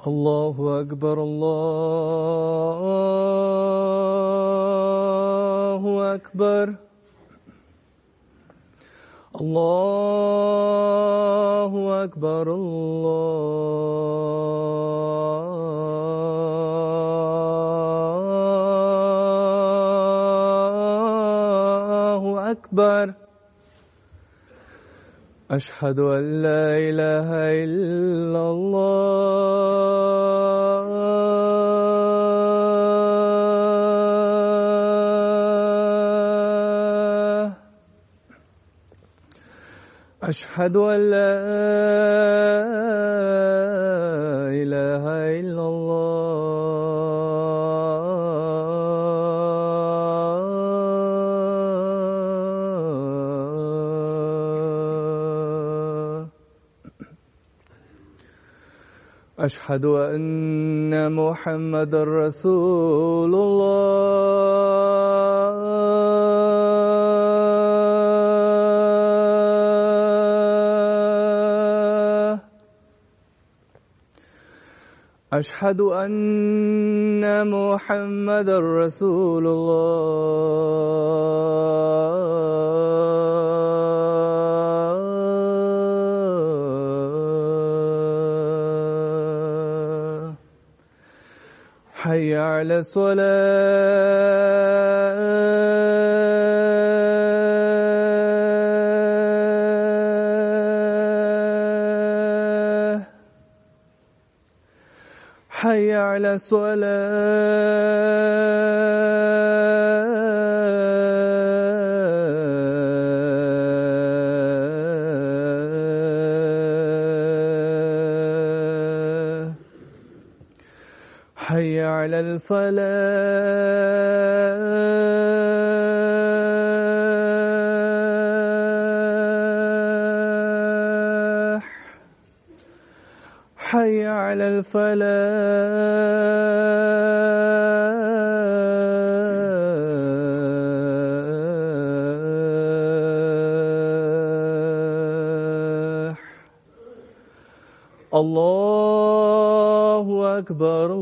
الله أكبر الله أكبر الله أكبر الله أكبر أشهد أن لا إله إلا الله أشهد أن لا إله إلا الله أشهد أن محمدًا رسول الله أشهد أن محمدًا رسول الله حي على الصلاة حي على الصلاة حي على الفلاح حي على الفلاح الله أكبر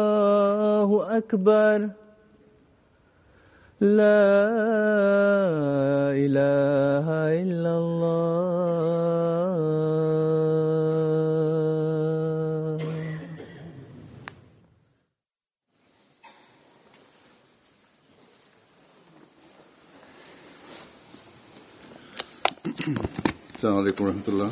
الله أكبر لا إله إلا الله السلام عليكم ورحمة الله.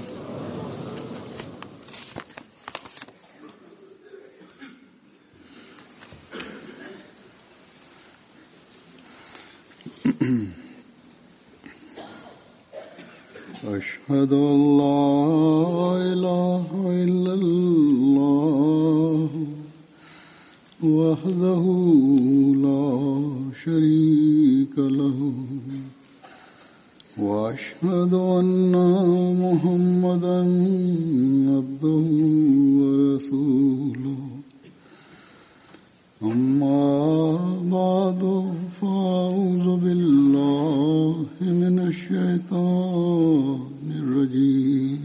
أشهد أن لا إله إلا الله وحده لا شريك له وأشهد أن محمدًا عبده ورسوله أما بعد فأعوذ بالله من الشيطان الرجيم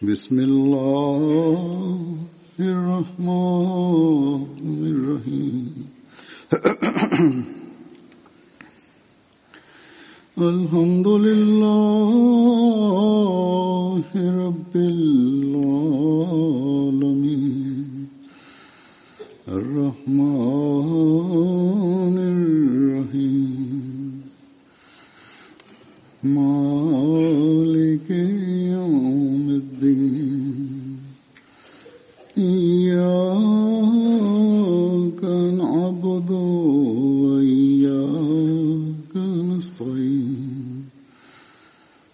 بسم الله الرحمن الرحيم الحمد لله رب العالمين الرحمن الرحيم مالك يوم الدين إياك نعبد وإياك نستعين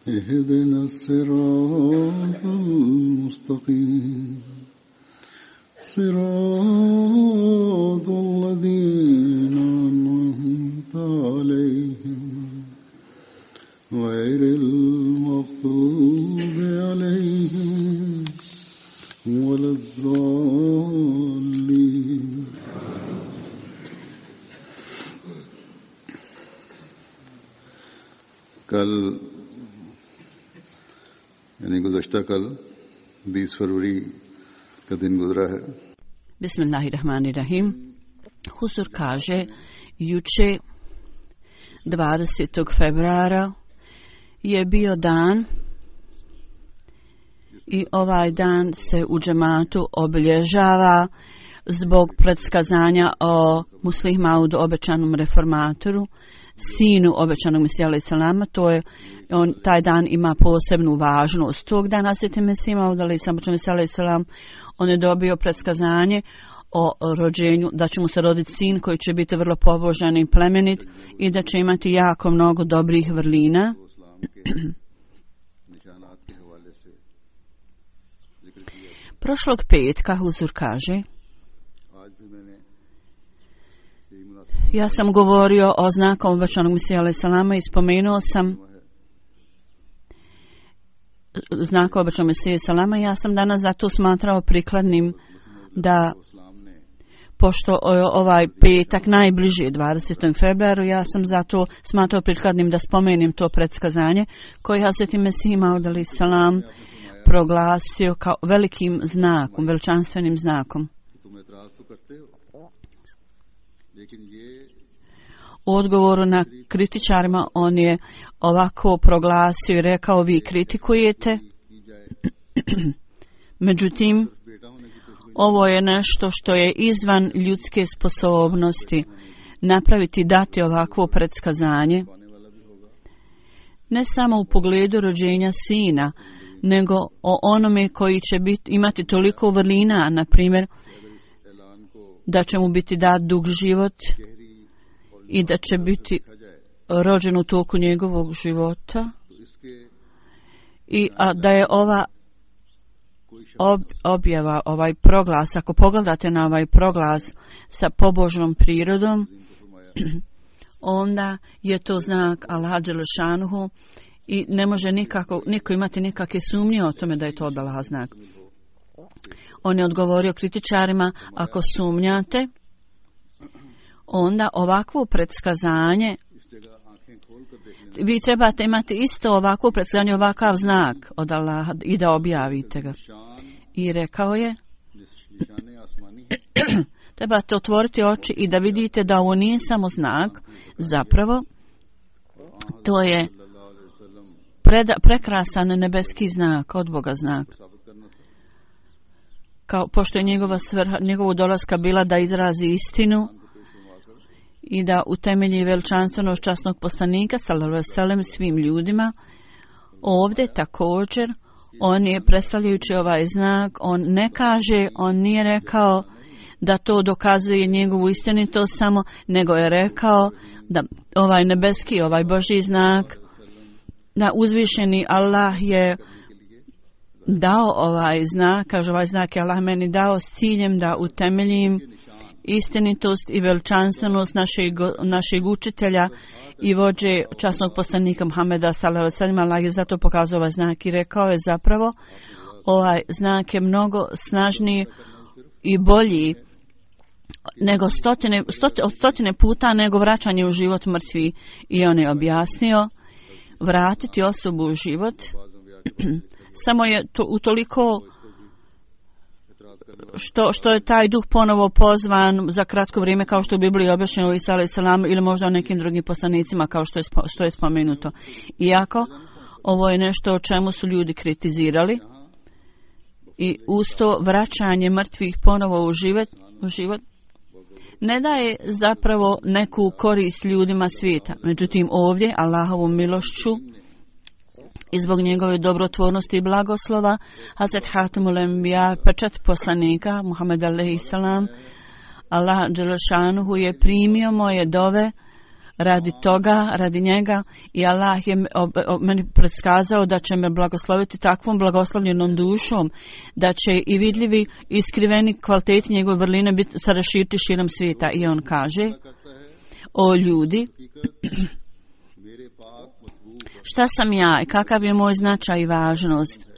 اهدنا الصراط المستقيم صراط الذين أنعمت عليهم غير المغضوب عليهم ولا الضالين यानी गुज़श्ता कल 20 फरवरी का दिन गुजरा है. Bismillahirrahmanirrahim. Huzur kaže, juče 20. februara je bio dan i ovaj dan se u džematu obilježava zbog predskazanja o Muslih Maudu, obećanom reformatoru, sinu obećanog Mesija alejhi selama. To je taj dan ima posebnu važnost. Tog dana Hazreti Mesih Maud alejhi selam, on je dobio predskazanje o rođenju, da će mu se roditi sin koji će biti vrlo pobožan i plemenit i da će imati jako mnogo dobrih vrlina. Prošlog petka Huzur kaže, ja sam govorio o znakom obećanog Mesija alejhi selama i spomenuo sam znak obećanog Mesija alejhi selama. Ja sam danas zato smatrao prikladnim da, pošto ovaj petak najbliže 20. februaru, ja sam zato smatrao prikladnim da spomenem to predskazanje koje Hazreti Mesih Maud alejhi selam proglasio kao velikim znakom, veličanstvenim znakom. U odgovoru na kritičarima on je ovako proglasio i rekao, vi kritikujete, međutim ovo je nešto što je izvan ljudske sposobnosti napraviti, dati ovakvo predskazanje, ne samo u pogledu rođenja sina, nego o onome koji će imati toliko vrlina, na primjer da će mu biti dat dug život i da će biti rođen u toku njegovog života, i da je ova objava, ovaj proglas, ako pogledate na ovaj proglas sa pobožnom prirodom, onda je to znak Allaha dželešanuhu i ne može niko imati nikakve sumnje o tome da je to od Allaha znak. On je odgovorio kritičarima, ako sumnjate, onda ovakvo predskazanje, vi trebate imati isto ovakvo predskazanje, ovakav znak od Allaha i da objavite ga. I rekao je, trebate otvoriti oči i da vidite da ovo nije samo znak, zapravo to je prekrasan nebeski znak, od Boga znak. Pošto je njegova svrha, njegovu dolaska bila da izrazi istinu i da utemelji veličanstvenost časnog poslanika sallallahu alejhi ve sellem svim ljudima. Ovdje također on je, predstavljajući ovaj znak, on ne kaže, on nije rekao da to dokazuje njegovu istinitost samo, nego je rekao da ovaj nebeski, ovaj Božji znak, da uzvišeni Allah je dao ovaj znak, kaže ovaj znak je Allah meni dao s ciljem da utemeljim istinitost i veličanstvenost našeg učitelja i vođe časnog poslanika Muhameda sallallahu alejhi ve sellem. Allah je zato pokazao ovaj znak i rekao je zapravo ovaj znak je mnogo snažniji i bolji nego stotine puta nego vraćanje u život mrtvi. I on je objasnio, vratiti osobu u život samo je to utoliko što je taj duh ponovo pozvan za kratko vrijeme, kao što u Bibliji objašnjeno u Isa alejhi selam ili možda o nekim drugim poslanicima, kao što je spomenuto. Iako ovo je nešto o čemu su ljudi kritizirali i usto vraćanje mrtvih ponovo u život ne daje zapravo neku korist ljudima svijeta. Međutim ovdje Allahovom milošću i zbog njegove dobrotvornosti i blagoslova Hazret Hatimul Enbiya, pečat poslanika Muhammed alejhi selam, Allah dželešanuhu je primio moje dove radi toga, radi njega, i Allah je meni predskazao da će me blagosloviti takvom blagoslovljenom dušom, da će i vidljivi i skriveni kvaliteti njegove vrline biti sada širiti širom svijeta. I on kaže, o ljudi, šta sam ja i kakav je moj značaj i važnost?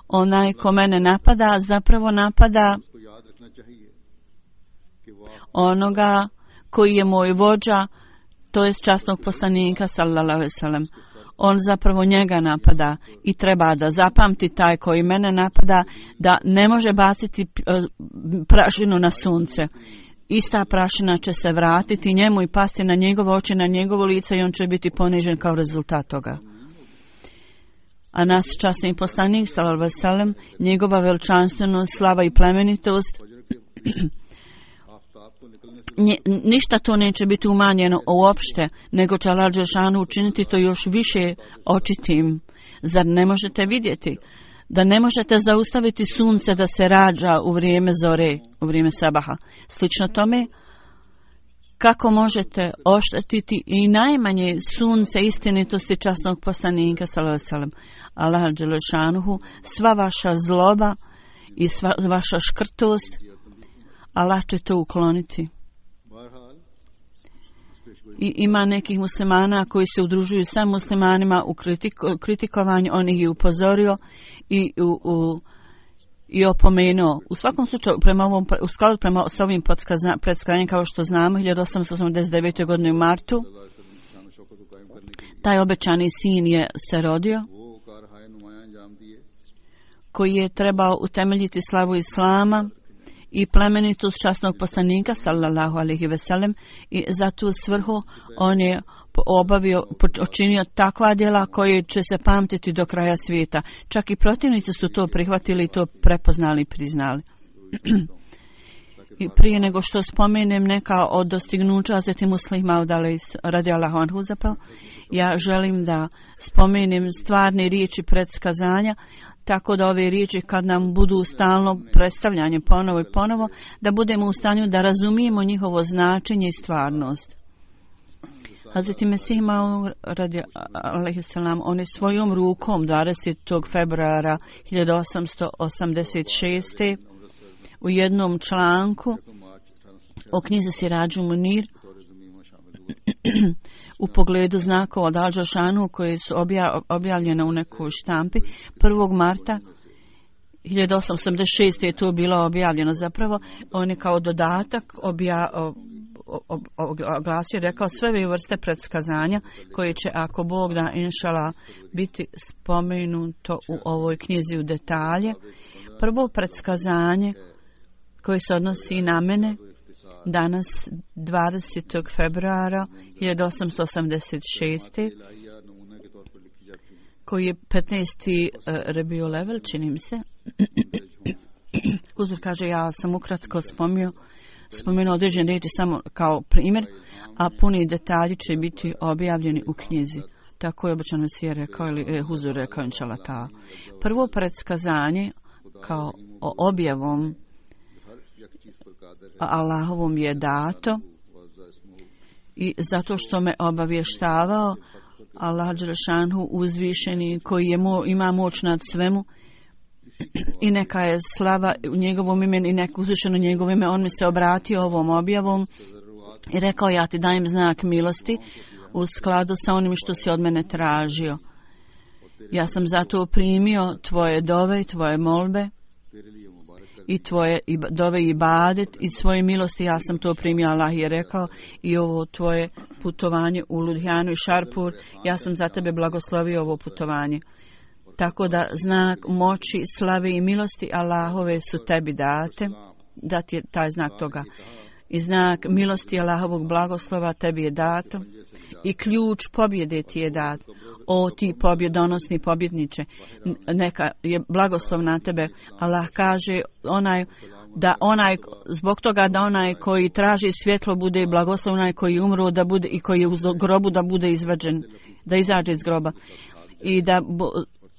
Onaj ko mene napada, zapravo napada onoga koji je moj vođa, to je časnog poslanika sallallahu alejhi ve sellem. on zapravo njega napada i treba da zapamti taj koji mene napada da ne može baciti prašinu na sunce. Ista prašina će se vratiti njemu i pasti na njegove oči, na njegovo lice i on će biti ponižen kao rezultat toga. A nas časni poslanik, sallallahu alejhi ve sellem, njegova veličanstvenost, slava i plemenitost, ništa to neće biti umanjeno uopšte, nego će Allah dželešanu učiniti to još više očitim. Zar ne možete vidjeti da ne možete zaustaviti sunce da se rađa u vrijeme zore, u vrijeme sabaha? Slično tome, kako možete oštetiti i najmanje sunce istinitosti časnog poslanika sallallahu alejhi ve sellem? Allah dželešanu, sva vaša zloba i sva vaša škrtost, Allah će to ukloniti. I ima nekih muslimana koji se udružuju sa muslimanima u kritikovanju, on ih je upozorio i opomenuo. U svakom slučaju, u skladu prema s ovim predskajanjem, kao što znamo, 1889. godine u martu, taj obećani sin je se rodio, koji je trebao utemeljiti slavu Islama i plemenitost časnog poslanika sallallahu alejhi ve sellem, i za tu svrhu on je učinio takva djela koje će se pamtiti do kraja svijeta. Čak i protivnici su to prihvatili i to prepoznali i priznali. I prije nego što spomenem neka od dostignuća Hazreti Muslih Maud radijallahu anhu zapravo, ja želim da spomenem stvarne riječi predskazanja, tako da ove riječi kad nam budu stalno predstavljanje ponovo i ponovo, da budemo u stanju da razumijemo njihovo značenje i stvarnost. Hazreti Mesih Maud alejhi selam, on je svojom rukom 20. februara 1886. u jednom članku o knjizi Sirađu Munir u pogledu znakova od Al-Dželešanu koje su objavljene u nekoj štampi 1. marta 1886. je to bilo objavljeno. Zapravo on je kao dodatak oglasio, rekao sve ove vrste predskazanja koje će, ako Bog da, inšala, biti spomenuto u ovoj knjizi u detalje. Prvo predskazanje koje se odnosi na mene danas 20. februara 1886. koji je 15. Rebio Level, čini mi se. Uzor kaže, ja sam ukratko spomenuo određene riječi samo kao primjer, a puni detalji će biti objavljeni u knjizi. Tako je obično Mesija rekao, ili Huzur rekao, inšala ta. Prvo predskazanje kao objavom Allahovom je dato i zato što me obavještavao Allah dželešanu uzvišeni koji ima moć nad svemu i neka je slava u njegovom imenu i neka uzvišeno njegovo ime, on mi se obratio ovom objavom i rekao, ja ti dajem znak milosti u skladu sa onim što si od mene tražio. Ja sam zato primio tvoje dove i tvoje molbe i tvoje dove i ibadet i svoje milosti, ja sam to primio, Allah je rekao, i ovo tvoje putovanje u Ludhijanu i Šarpur, ja sam za tebe blagoslovio ovo putovanje. Tako da znak moći, slave i milosti Allahove su tebi dati je taj znak toga. I znak milosti Allahovog blagoslova tebi je dato i ključ pobjede ti je dat. O ti pobjedonosni pobjedniče, neka je blagoslov na tebe. Allah kaže zbog toga da onaj koji traži svjetlo bude blagoslov, onaj koji umro da bude i koji je u grobu da bude izvađen, da izađe iz groba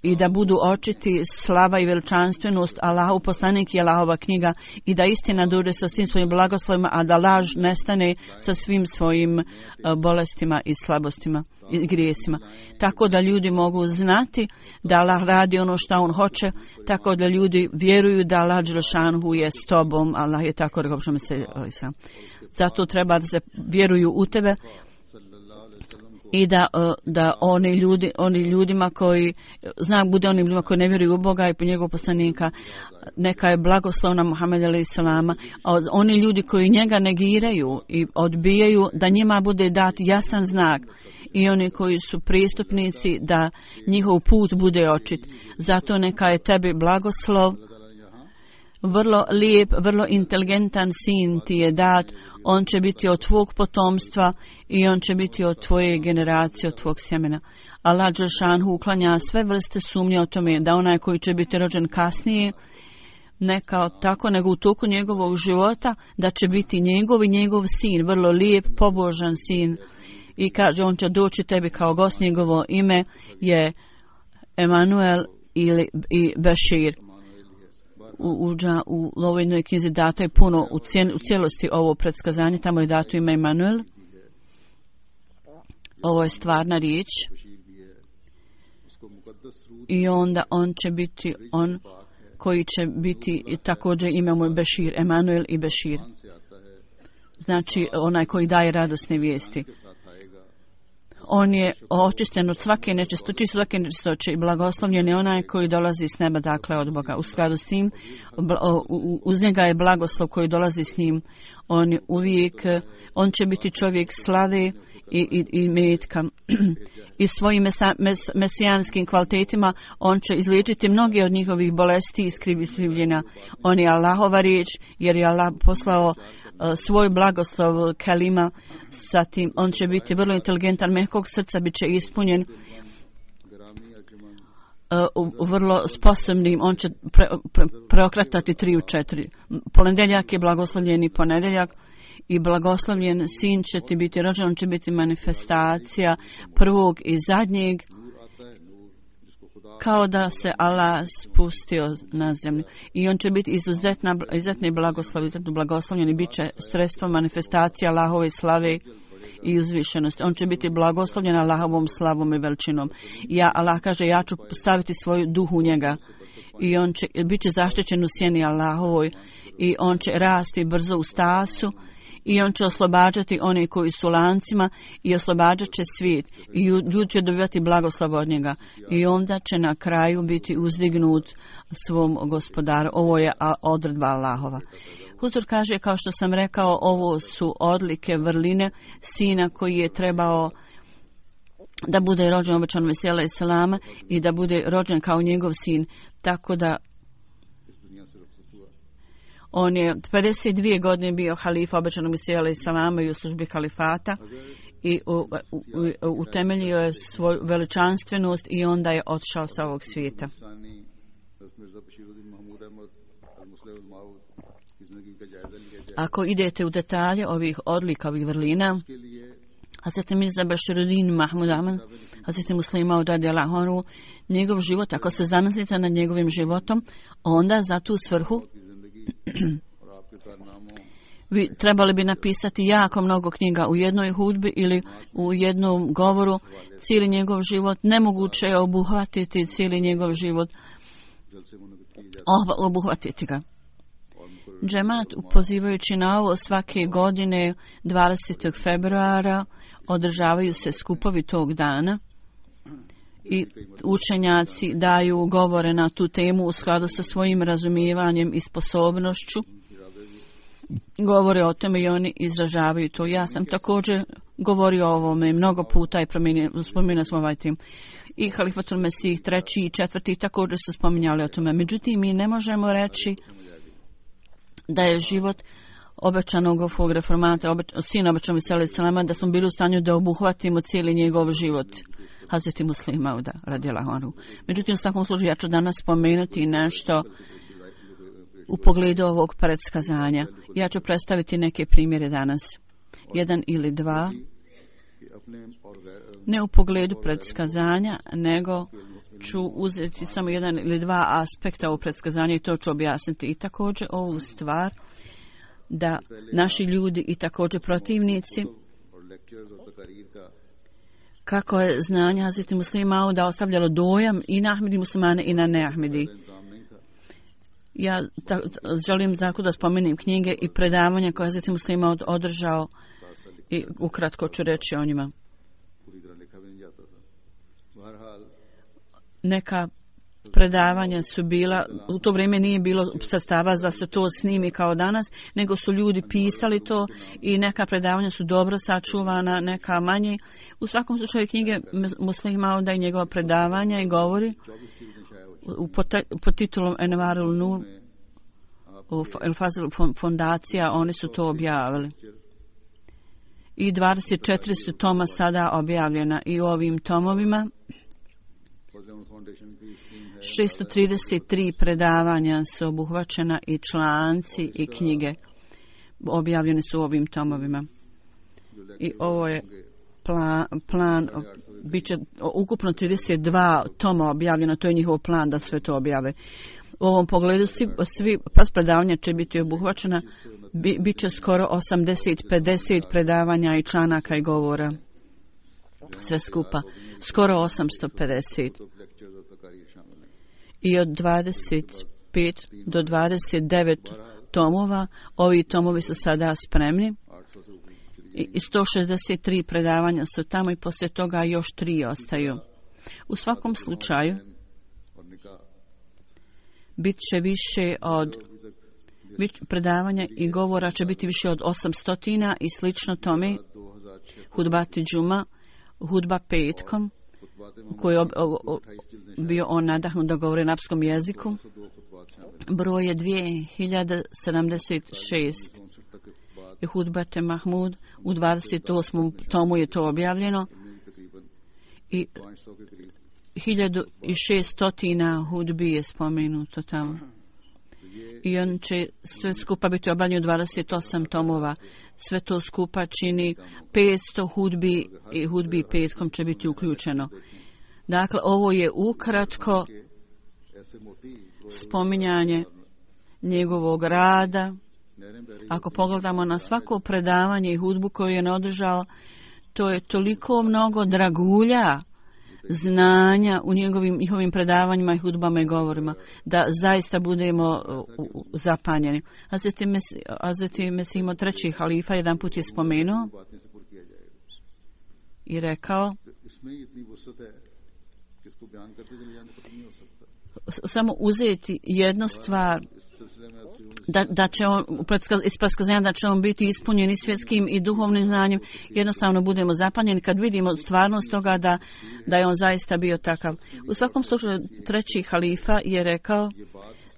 i da budu očiti slava i veličanstvenost Allahov poslanik i Allahova knjiga i da istina dođe sa svim svojim blagoslovima, a da laž nestane sa svim svojim bolestima i slabostima i grijesima. Tako da ljudi mogu znati da Allah radi ono što on hoće, tako da ljudi vjeruju da Allah dželešanu je s tobom. Allah je tako rekao, zato treba da se vjeruju u tebe i da oni ljudima koji bude onim ljudima koji ne vjeruju u Boga i po njegovog poslanika, neka je blagoslov na Muhameda alejhi selama, a oni ljudi koji njega negiraju i odbijaju, da njima bude dat jasan znak, i oni koji su pristupnici, da njihov put bude očit. Zato neka je tebi blagoslov, vrlo lijep, vrlo inteligentan sin ti je dat, on će biti od tvog potomstva i on će biti od tvoje generacije, od tvog sjemena. Allah dželšanhu uklanja sve vrste sumnje o tome da onaj koji će biti rođen kasnije, ne kao tako, nego u toku njegovog života, da će biti njegov sin, vrlo lijep, pobožan sin. I kaže, on će doći tebi kao gost, njegovo ime je Emanuel i Bešir. U ovoj knjizi dato je puno, u cijelosti ovo predskazanje, tamo je dato ime Emanuel. Ovo je stvarna riječ. I onda on će biti on koji će biti, također imamo Bešir, Emanuel i Bešir. Znači onaj koji daje radosne vijesti. On je očišten od svake nečistoće i blagoslovljen je onaj koji dolazi s neba, dakle od Boga. U skladu s tim, uz njega je blagoslov koji dolazi s njim. On će biti čovjek slave i metka. I svojim mesijanskim kvalitetima on će izliječiti mnoge od njihovih bolesti i skrivljenja. On je Allahova riječ, jer je Allah poslao svoj blagoslov kalima. Zatim on će biti vrlo inteligentan, mehkog srca, bit će ispunjen, vrlo sposobnim. On će preokretati 3 u 4. Ponedjeljak je blagoslovljeni ponedjeljak i blagoslovljen sin će ti biti rođen. On će biti manifestacija prvog i zadnjeg, kao da se Allah spustio na zemlju. I on će biti izuzetni blagoslovljen i bit će sredstvo manifestacija Allahove slave i uzvišenosti. On će biti blagoslovljen Allahovom slavom i veličinom. Allah kaže, ja ću staviti svoj duh u njega i on će biti zaštićen u sjeni Allahovoj i on će rasti brzo u stasu i on će oslobađati one koji su lancima i oslobađat će svijet i ljudi će dobivati blagoslov od njega i onda će na kraju biti uzdignut svom gospodaru. Ovo je odredba Allahova. Huzur kaže, kao što sam rekao, ovo su odlike vrline sina koji je trebao da bude rođen obećanom Mesiju alejhi selama i da bude rođen kao njegov sin, tako da on je 52 godine bio halifa obećanog Mesija alejhi selama i u službi kalifata i utemeljio je svoju veličanstvenost i onda je otišao sa ovog svijeta. Ako idete u detalje ovih odlika, ovih vrlina, Hazreti Mirza Bashiruddin Mahmud Ahmad, Hazreti Muslima Maud radijallahu anhu, njegov život, ako se zamislite nad njegovim životom, onda za tu svrhu vi trebali bi napisati jako mnogo knjiga u jednoj hudbi ili u jednom govoru, cijeli njegov život. Nemoguće je obuhvatiti cijeli njegov život, obuhvatiti ga. Džemat, pozivajući na ovo, svake godine 20. februara održavaju se skupovi tog dana i učenjaci daju govore na tu temu u skladu sa svojim razumijevanjem i sposobnošću. Govore o tome i oni izražavaju to. Ja sam također govorio o ovome mnogo puta i spominjali smo ovaj tim. I Halifatul Mesih 3. i 4. također su spominjali o tome. Međutim, mi ne možemo reći da je život obećanog reformata, sina obećanog Mesija alejhi selama, da smo bili u stanju da obuhvatimo cijeli njegov život, Hazreti Muslima Mauda radijallahu anhu. Međutim, u svakom slučaju ja ću danas spomenuti nešto u pogledu ovog predskazanja. Ja ću predstaviti neke primjere danas, 1 ili 2, ne u pogledu predskazanja, nego ću uzeti samo 1 ili 2 aspekta ovog predskazanja i to ću objasniti. I također ovu stvar da naši ljudi i također protivnici, kako je znanje Hazreti Muslima Mauda ostavljalo dojam i na Ahmedi muslimane i na neahmedi. Ja želim tako da spomenem knjige i predavanja koje Hazreti Muslima Maud održao i ukratko ću reći o njima. neka predavanja su bila, u to vrijeme nije bilo sredstava da se to snimi kao danas, nego su ljudi pisali to i neka predavanja su dobro sačuvana, neka manje. U svakom slučaju knjige Muslih Mauda i njegova predavanja i govori pod titulom Envarul Nur, El Fazl fondacija, oni su to objavili. I 24 su toma sada objavljena i u ovim tomovima 633 predavanja su obuhvaćena i članci i knjige objavljene su u ovim tomovima. I ovo je plan bit će ukupno 32 toma objavljeno, to je njihov plan da sve to objave. U ovom pogledu svi predavanja će biti obuhvaćena, bit će skoro 80-50 predavanja i članaka i govora. Sve skupa, skoro 850. I od 25 do 29 tomova, ovi tomovi su sada spremni. I 163 predavanja su tamo i poslije toga još 3 ostaju. U svakom slučaju, bit će više od predavanja i govora će biti više od 800 i slično tome. Hudbati džuma, hudba petkom, koji je bio on nadahnut da govori na arapskom jeziku. Broj je 2076. I hudbate Mahmud u 28. tomu je to objavljeno. I 1600 hudbi je spomenuto tamo. I on će sve skupa biti objavljeno 28 tomova. Sve to skupa čini 500 hudbi i hudbi petkom će biti uključeno. Dakle, ovo je ukratko spominjanje njegovog rada. Ako pogledamo na svako predavanje i hudbu koju je održao, to je toliko mnogo dragulja znanja u njihovim predavanjima i hudbama i govorima, da zaista budemo zapanjeni. Hazreti Mesih treći halifa jedan put je spomenuo i rekao samo uzeti jednu stvar, da će on iz predskazanja da će on biti ispunjen i svjetskim i duhovnim znanjem, jednostavno budemo zapanjeni kad vidimo stvarnost toga da je on zaista bio takav. U svakom slučaju treći halifa je rekao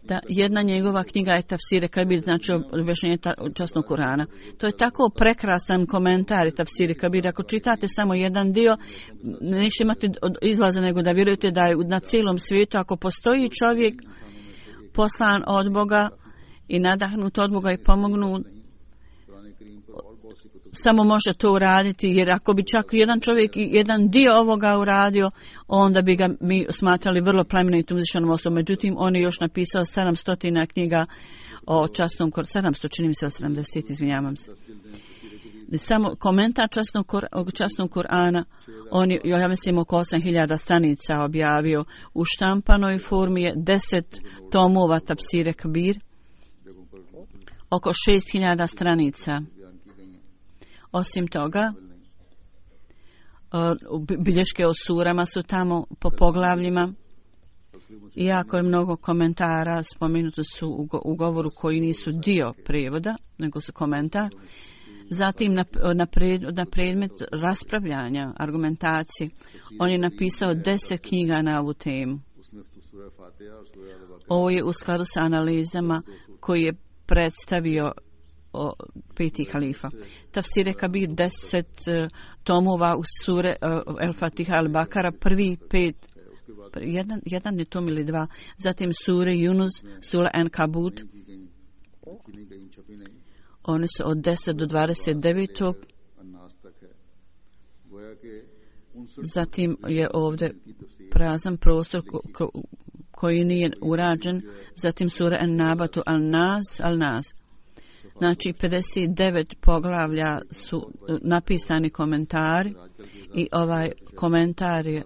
da jedna njegova knjiga je Tafsir Kabir, znači objašnjenje časnog Kurana. To je tako prekrasan komentar Tafsir Kabir. Ako čitate samo jedan dio, nećete imati izlaza nego da vjerujete da je na cijelom svijetu, ako postoji čovjek poslan od Boga i nadahnut od Boga i pomognut, samo može to uraditi, jer ako bi čak jedan čovjek i jedan dio ovoga uradio, onda bi ga mi smatrali vrlo plemenitom uzvišenom osobom. Međutim, on je još napisao 700 knjiga o časnom Kur'anu, 700, čini mi se 70, izvinjavam se. Samo komentar časnog Kur'ana, on je, ja mislim, oko 8000 stranica objavio. U štampanoj formi je 10 tomova Tafsire Kabir, oko 6000 stranica. Osim toga, bilješke o surama su tamo po poglavljima. Iako je mnogo komentara, spomenuto su u govoru koji nisu dio prijevoda, nego su komentar. Zatim na predmet raspravljanja, argumentacije, on je napisao 10 knjiga na ovu temu. Ovo je u skladu sa analizama koji je predstavio peti halifa. Tafsire Kabir 10 tomova u sure El Fatiha Al Bakara, prvi 5, jedan je tom ili 2, zatim sure Yunus, sura Ankabut, one su od 10 do 29. Zatim je ovdje prazan prostor koji nije urađen, zatim sura An-Nabatu Al-Nas. Znači 59 poglavlja su napisani komentari i ovaj komentar je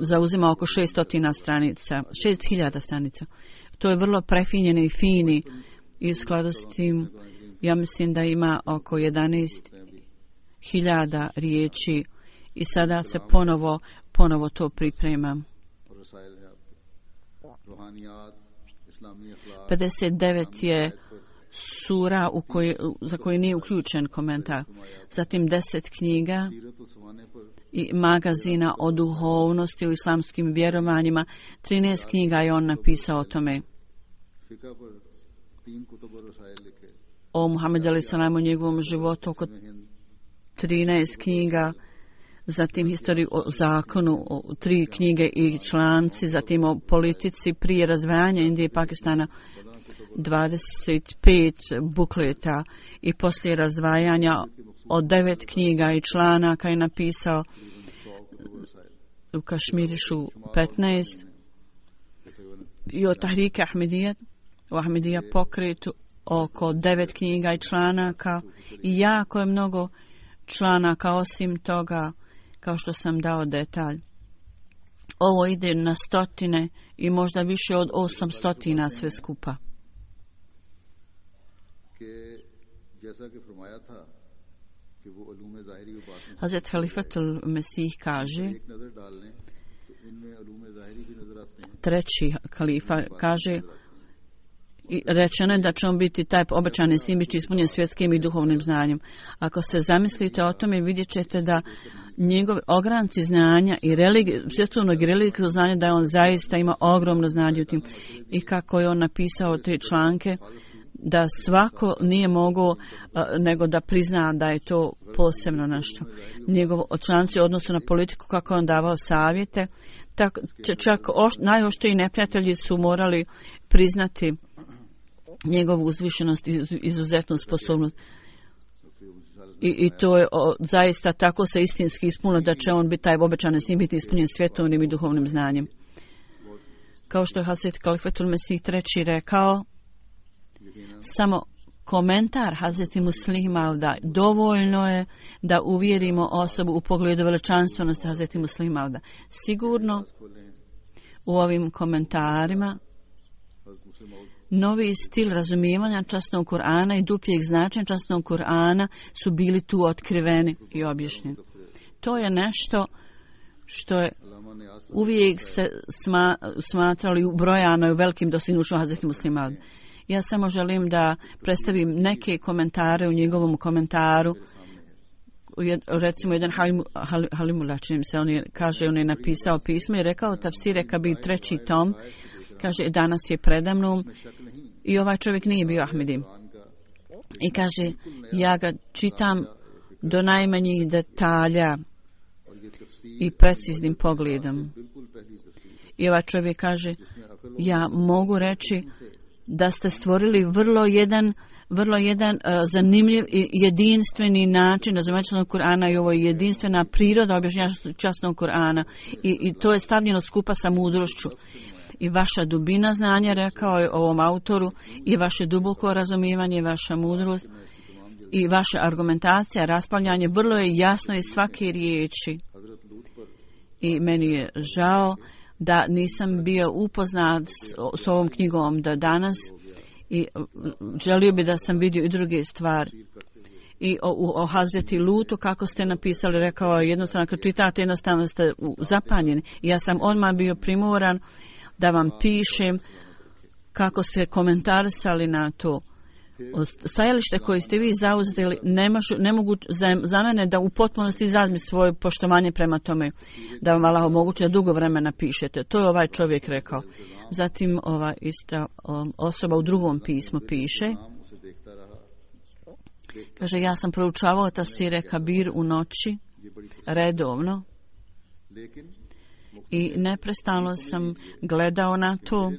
zauzima oko 600 stranica, 6000 stranica. To je vrlo prefinjeni i fini i u skladu s tim ja mislim da ima oko 11.000 riječi I sada se ponovo to priprema. 59 je sura za koju nije uključen komentar. Zatim 10 knjiga i magazina o duhovnosti u islamskim vjerovanjima. 13 knjiga je on napisao o tome. O Muhammedu alejhi selam, o njegovom životu, oko 13 knjiga. Zatim historiju o zakonu, 3 knjige i članci, zatim o politici prije razdvajanja Indije i Pakistana, 25 bukleta i poslije razdvajanja od 9 knjiga i članaka je napisao. U Kašmirišu 15 i o Tahrike Ahmedija, u Ahmedija pokretu oko 9 knjiga i članaka i jako je mnogo članaka. Osim toga, kao što sam dao detalj, ovo ide na stotine i možda više od 800 sve skupa. Hazret Halifatul Mesih kaže, treći kalifa kaže, i rečeno je da će on biti taj obećani sin, biti ispunjen svjetskim i duhovnim znanjem. Ako se zamislite o tome, vidjet ćete da njegov ogranci znanja i svjetovnog i religijskog znanja, da je on zaista ima ogromno znanje u tim. I kako je on napisao te članke, da svako nije mogao nego da prizna da je to posebno nešto. Njegov članci u odnosu na politiku, kako je on davao savjete, čak najoštriji neprijatelji su morali priznati njegovu uzvišenost i izuzetnu sposobnost. I to je zaista tako se istinski ispunilo da će on biti taj obećani sin, biti ispunjen svjetovnim i duhovnim znanjem. Kao što je Hazret Kalifatul Mesih III rekao, samo komentar Hazreti Muslima da dovoljno je da uvjerimo osobu u pogledu veličanstvenosti Hazreti Muslima. Sigurno u ovim komentarima novi stil razumijevanja časnog Kur'ana i dupljeg značenja časnog Kur'ana su bili tu otkriveni i objašnjeni. To je nešto što je uvijek se smatrali ubrojano u velikim dostignućima Hazreti Muslima. Ja samo želim da predstavim neke komentare u njegovom komentaru. Recimo jedan Halimullah, čini se, on je napisao pismo i rekao Tafsire Kabir 3. tom, kaže danas je predamnom i ovaj čovjek nije bio Ahmedi. I kaže ja ga čitam do najmanjih detalja i preciznim pogledom. I ovaj čovjek kaže ja mogu reći da ste stvorili vrlo jedan zanimljiv i jedinstveni način razumijevanja Kur'ana i ovo je jedinstvena priroda objašnjavanja časnog Kur'ana i to je stavljeno skupa sa mudrošću. I vaša dubina znanja, rekao je ovom autoru, i vaše duboko razumijevanje, vaša mudrost i vaša argumentacija, raspravljanje, vrlo je jasno iz svake riječi. I meni je žao da nisam bio upoznat s ovom knjigom do danas i želio bi da sam vidio i druge stvari. I o Hazreti Lutu, kako ste napisali, rekao je jednostavno, kad čitate, jednostavno ste zapanjeni. I ja sam odmah bio primoran da vam pišem kako ste komentarisali na to. Stajalište koje ste vi zauzeli ne mogu za mene da u potpunosti izrazim svoje poštovanje prema tome, da vam Allah omogući da dugo vremena pišete. To je ovaj čovjek rekao. Zatim ova ista osoba u drugom pismu piše, kaže, ja sam proučavao Tafsire Kabir u noći redovno i neprestano sam gledao na to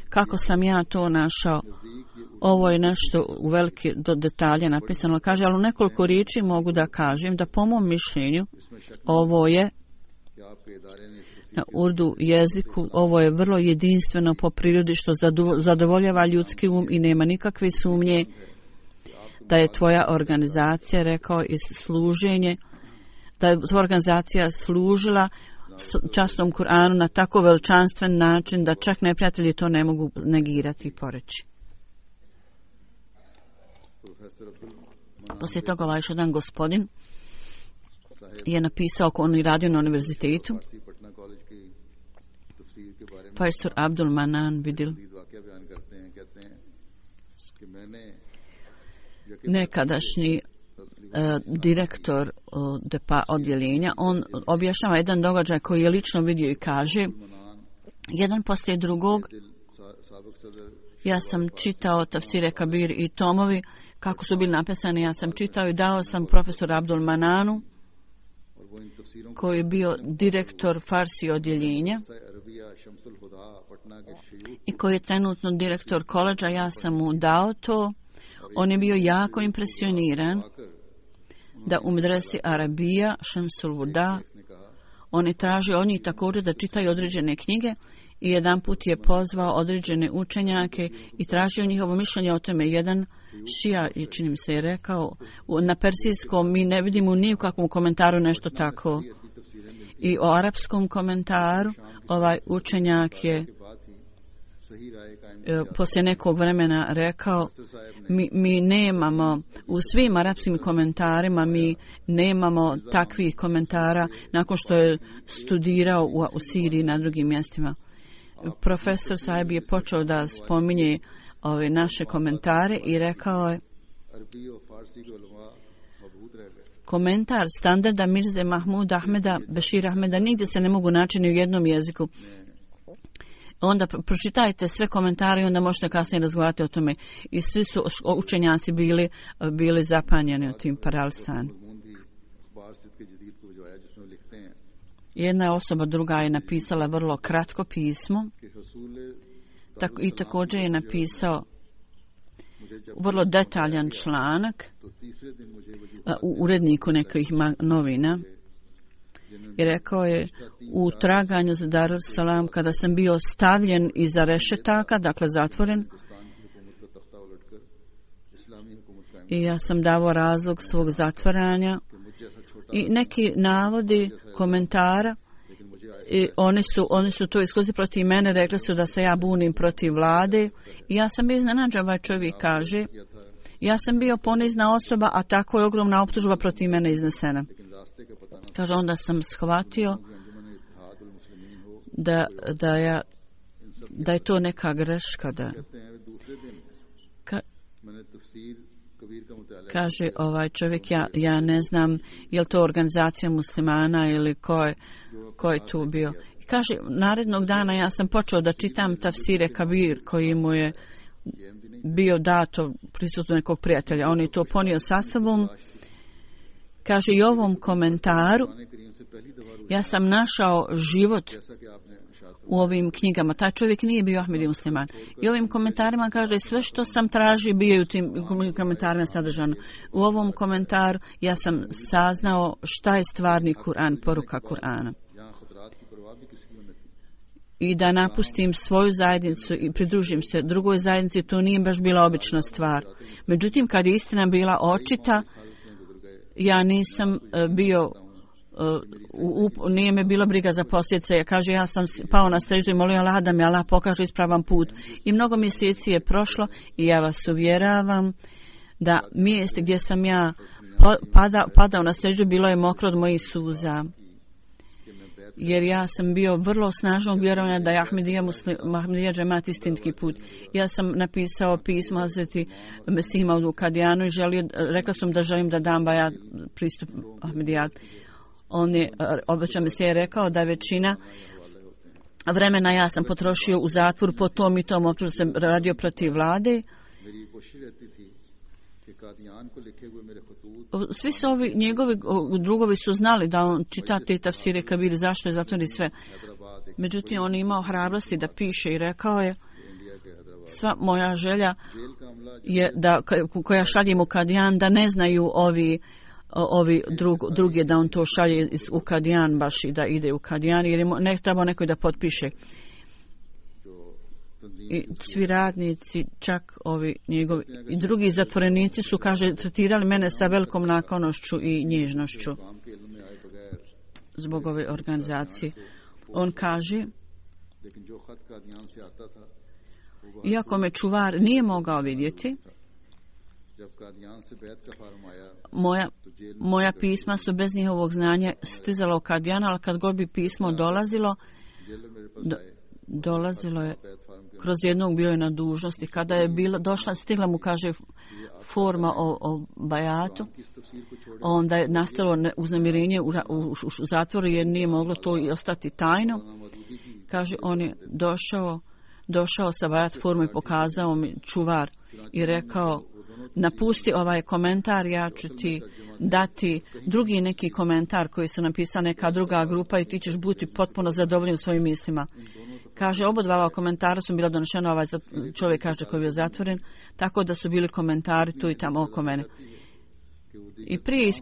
kako sam ja to našao. Ovo je nešto u velike do detalje napisano. Kaže, ali u nekoliko riječi mogu da kažem da po mom mišljenju ovo je na urdu jeziku, ovo je vrlo jedinstveno po prirodi što zadovoljava ljudski um i nema nikakve sumnje da je tvoja organizacija, rekao, i služenje, da je tvoja organizacija služila časnom Kur'anu na tako veličanstven način da čak neprijatelji to ne mogu negirati i poreći. Poslije toga ovaj jedan gospodin je napisao, on je radio na univerzitetu. Profesor Abdul Manan Vidil, nekadašnji direktor odjeljenja, on objašnjava jedan događaj koji je lično vidio i kaže, jedan poslije drugog, ja sam čitao tafsire Kabir i tomovi, kako su bili napisani, ja sam čitao i dao sam profesor Abdul Mananu, koji je bio direktor Farsi odjeljenja i koji je trenutno direktor koledža, ja sam mu dao to. On je bio jako impresioniran da u medresi Arabija, Šemsul Huda, on je tražio od njih također da čitaju određene knjige i jedan put je pozvao određene učenjake i tražio njihovo mišljenje o tome. Jedan šija, čini mi se, je rekao, na persijskom mi ne vidimo ni u kakvom komentaru nešto tako. I o arapskom komentaru ovaj učenjak je poslije nekog vremena rekao, mi nemamo, u svim arapskim komentarima mi nemamo takvih komentara nakon što je studirao u Siriji na drugim mjestima. Profesor Saib je počeo da spominje ove naše komentare i rekao je, komentar standarda Mirze Mahmud Ahmeda, Bešir Ahmeda nigdje se ne mogu naći ni u jednom jeziku. Onda pročitajte sve komentare i onda možete kasnije razgovarati o tome. I svi su učenjaci bili zapanjeni u tim paralsan. Jedna osoba druga je napisala vrlo kratko pismo i također je napisao vrlo detaljan članak u uredniku nekih novina. I rekao je, u traganju za Darus Salam, kada sam bio stavljen iza rešetaka, dakle zatvoren, i ja sam davao razlog svog zatvaranja i neki navodi komentara, i oni su to isključili protiv mene, rekli su da se ja bunim protiv vlade i ja sam bio iznenađen, ovaj čovjek kaže, ja sam bio ponizna osoba, a tako je ogromna optužba protiv mene iznesena. Kaže, onda sam shvatio da je to neka greška. Kaže ovaj čovjek, ja ne znam je li to organizacija muslimana ili ko je tu bio. I kaže, narednog dana ja sam počeo da čitam tafsire Kabir koji mu je bio dato prisutno nekog prijatelja. On je to ponio sa sobom. Kaže, i ovom komentaru ja sam našao život u ovim knjigama. Taj čovjek nije bio Ahmedi musliman. I ovim komentarima kaže, sve što sam tražio bio u tim komentarima sadržano. U ovom komentaru ja sam saznao šta je stvarni Kur'an, poruka Kur'ana. I da napustim svoju zajednicu i pridružim se drugoj zajednici, to nije baš bila obična stvar. Međutim, kad je istina bila očita, ja nisam bio, nije me bilo briga za posljedice. Ja kaže, ja sam pao na seždu i molio Allah da mi Allah pokaže ispravan put. I mnogo mjeseci je prošlo i ja vas uvjeravam da mjesto gdje sam ja padao na seždu bilo je mokro od mojih suza. Jer ja sam bio vrlo snažnog vjerovanja da je Ahmedija džemat istinski put. Ja sam napisao pismo Hazreti Mesih Maudu Kadijanu i rekao sam da želim da dam bajat pristup Ahmedijat. On je, obeća Mesih je rekao da većina vremena ja sam potrošio u zatvoru po tom i tom optužu sam radio protiv vlade. Svi su ovi njegovi drugovi su znali da on čita te tafsire Kabir, zašto je zatvori sve. Međutim, on je imao hrabrosti da piše i rekao je, sva moja želja je da, koja šaljem u Kadijan, da ne znaju ovi drugi da on to šalje u Kadijan baš i da ide u Kadijan, jer ne treba neko da potpiše. I svi radnici, čak ovi njegovi i drugi zatvorenici su, kaže, tretirali mene sa velikom naklonošću i nježnošću zbog ove organizacije. On kaže, iako me čuvar nije mogao vidjeti, Moja pisma su bez njihovog znanja stizala u Kadijanu, ali kad god bi pismo dolazilo je kroz jednog, bio je na dužnosti. Kada je stigla mu, kaže, forma o bajatu, onda je nastalo uznemirenje u zatvoru jer nije moglo to i ostati tajno. Kaže, on je došao sa bajat formu i pokazao mi čuvar i rekao, napusti ovaj komentar, ja ću ti dati drugi neki komentar koji su napisali neka druga grupa i ti ćeš biti potpuno zadovoljen svojim mislima. Kaže, obodva komentara su bila donešena, ovaj čovjek kaže koji je zatvoren, tako da su bili komentari tu i tamo oko mene. I prije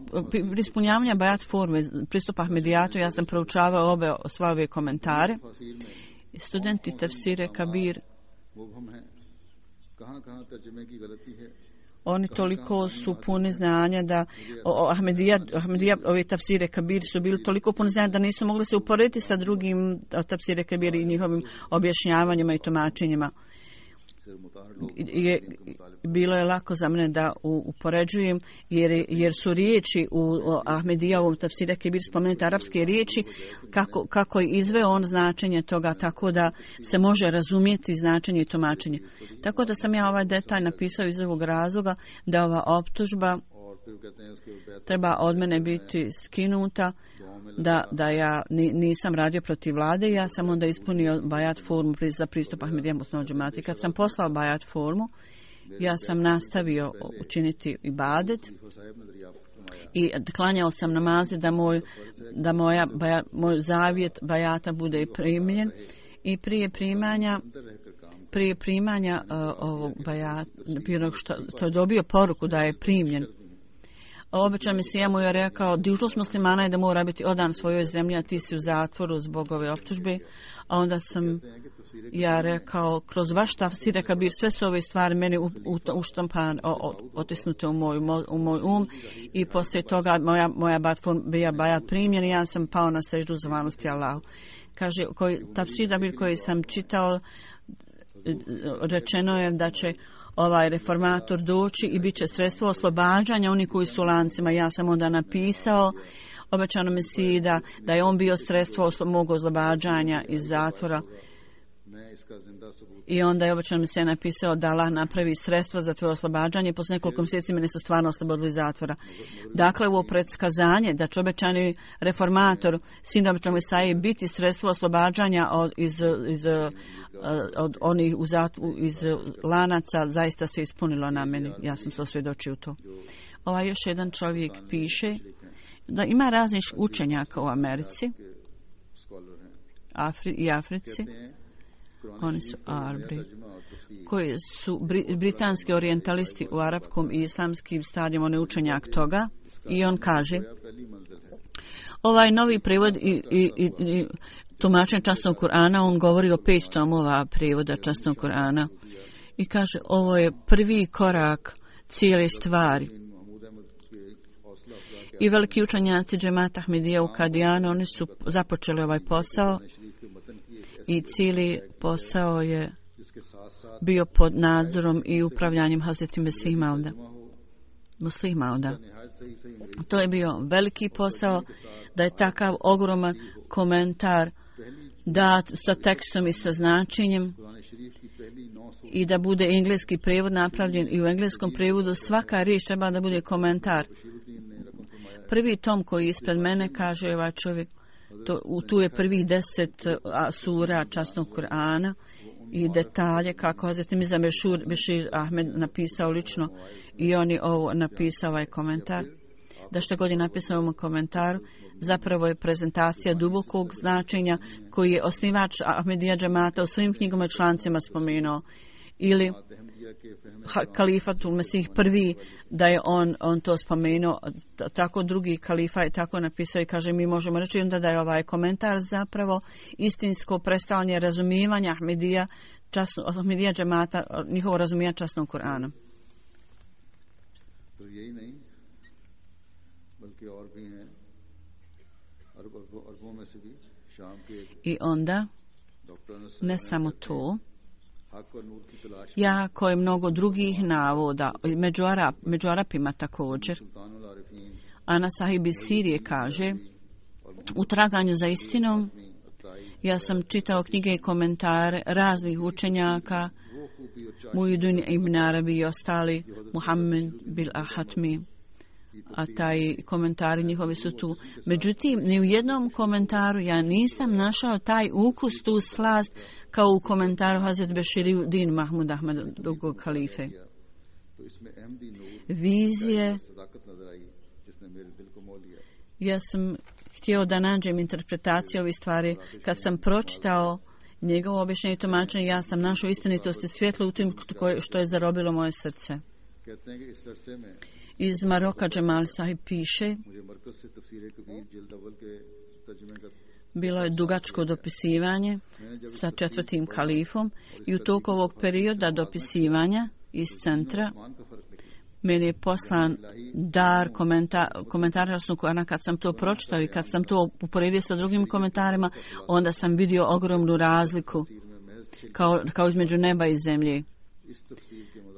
ispunjavanja bajat forme, pristupa Ahmedijatu, ja sam proučavao sve ove komentare. Studenti tefsire Kabir, oni toliko su puni znanja da Ahmedija, ove tafsire Kabir su bili toliko puni znanja da nisu mogli se uporediti sa drugim tafsire Kabir i njihovim objašnjavanjima i tumačenjima. Bilo je lako za mene da upoređujem jer su riječi u Ahmedijavom tafsire Kabir spomenute arapske riječi kako je izveo on značenje toga, tako da se može razumjeti značenje i tumačenje. Tako da sam ja ovaj detalj napisao iz ovog razloga da ova optužba treba od mene biti skinuta, da ja nisam radio protiv vlade, ja sam onda ispunio bajat formu za pristup Ahmedijama osnovnog džemata. Kad sam poslao bajat formu, ja sam nastavio učiniti ibadet i klanjao sam namaze da moj zavjet bajata bude primljen i prije primanja ovog bajata, to je dobio poruku da je primljen. Obećao Mesija mu je rekao, dužnost muslimana je da mora biti odan svojoj zemlji, a ti si u zatvoru zbog ove optužbe. A onda sam ja rekao, kroz vaš tafsir Kabir, sve su ove stvari meni uštampan, otisnute u moj i poslije toga moja bajat primjen i ja sam pao na seždu zahvalnosti Allahu. Kaže, tafsir Kabir koji sam čitao, rečeno je da će ovaj reformator doći i bit će sredstvo oslobađanja oni koji su u lancima. Ja sam onda napisao, obećano Mesiji da je on bio sredstvo mog oslobađanja iz zatvora. I onda je obećano Mesija napisao da Allah napravi sredstva za tvoje oslobađanje i posle nekoliko mjeseci mene su stvarno oslobodili iz zatvora. Dakle, ovo predskazanje da će obećani reformator, sin obećanog Mesaije, biti sredstvo oslobađanja od onih iz lanaca zaista se ispunilo na meni. Ja sam se osvjedočio to. Još jedan čovjek piše da ima raznih učenjaka u Americi i Africi. Oni su Arabi, koji su britanski orijentalisti u arapskom i islamskim stadijama, on je učenjak toga. I on kaže, ovaj novi prevod i tumačenje časnog Kur'ana, on govori o 5 tomova prevoda časnog Kur'ana. I kaže, ovo je prvi korak cijele stvari. I veliki učenjaci džemata Ahmedija u Kadijanu, oni su započeli ovaj posao i cijeli posao je bio pod nadzorom i upravljanjem Hazreti Mesih Mauda. Muslih Mauda. To je bio veliki posao, da je takav ogroman komentar dat sa tekstom i sa značenjem i da bude engleski prevod napravljen i u engleskom prevodu svaka riječ treba da bude komentar. Prvi tom koji ispred mene, kaže ovaj čovjek, tu je prvih 10 sura časnog Kur'ana i detalje kako Hazreti Mirza Bešir Ahmed napisao lično i on je ovo napisao ovaj komentar. Da što god je napisao u ovom komentaru, zapravo je prezentacija dubokog značenja koji je osnivač Ahmedija džemata u svojim knjigama i člancima spomenuo. Ili kalifatul Mesih prvi, da je on to spomenuo, tako drugi kalifa je tako napisao i kaže, mi možemo reći onda da je ovaj komentar zapravo istinsko predstavljanje razumijevanja Ahmedija džemata, njihovo razumijevanje časnog Kur'ana. I onda, ne samo to, jako je mnogo drugih navoda, među Arapima također. Ana Sahib iz Sirije kaže, u traganju za istinom, ja sam čitao knjige i komentare raznih učenjaka, Muhyiddin ibn Arabi i ostali, Muhammed bil Ahatmi, a taj komentari njihovi su tu. Međutim, ni u jednom komentaru ja nisam našao taj ukus, tu slast, kao u komentaru Hazret Beširuddin Mahmud Ahmad drugog halife. Vizije. Ja sam htio da nađem interpretaciju ovih stvari. Kad sam pročitao njegovo objašnjenje i tumačenje, ja sam našao istinitost i svjetlo u tim što je zarobilo moje srce. Iz Maroka Džemal Sahib piše, bilo je dugačko dopisivanje sa 4. kalifom i u toku ovog perioda dopisivanja iz centra meni je poslan dar komentara Kur'ana. Kad sam to pročitao i kad sam to uporedio sa drugim komentarima, onda sam vidio ogromnu razliku kao između neba i zemlje.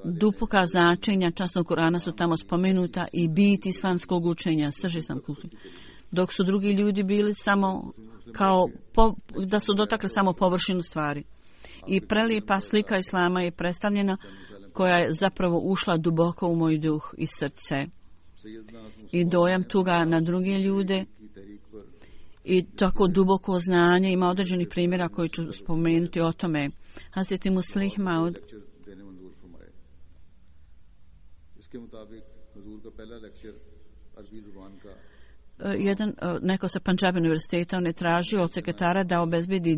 Duboka značenja časnog Kur'ana su tamo spomenuta i bit islamskog učenja, srž islamskog učenja. Dok su drugi ljudi bili samo da su dotakli samo površinu stvari. I prelijepa slika islama je predstavljena koja je zapravo ušla duboko u moj duh i srce. I dojam tuga na druge ljude i tako duboko znanje. Ima određenih primjera koji ću spomenuti o tome. Hazreti Muslih Maud neko sa Punjab univerziteta, on je tražio od sekretara da obezbedi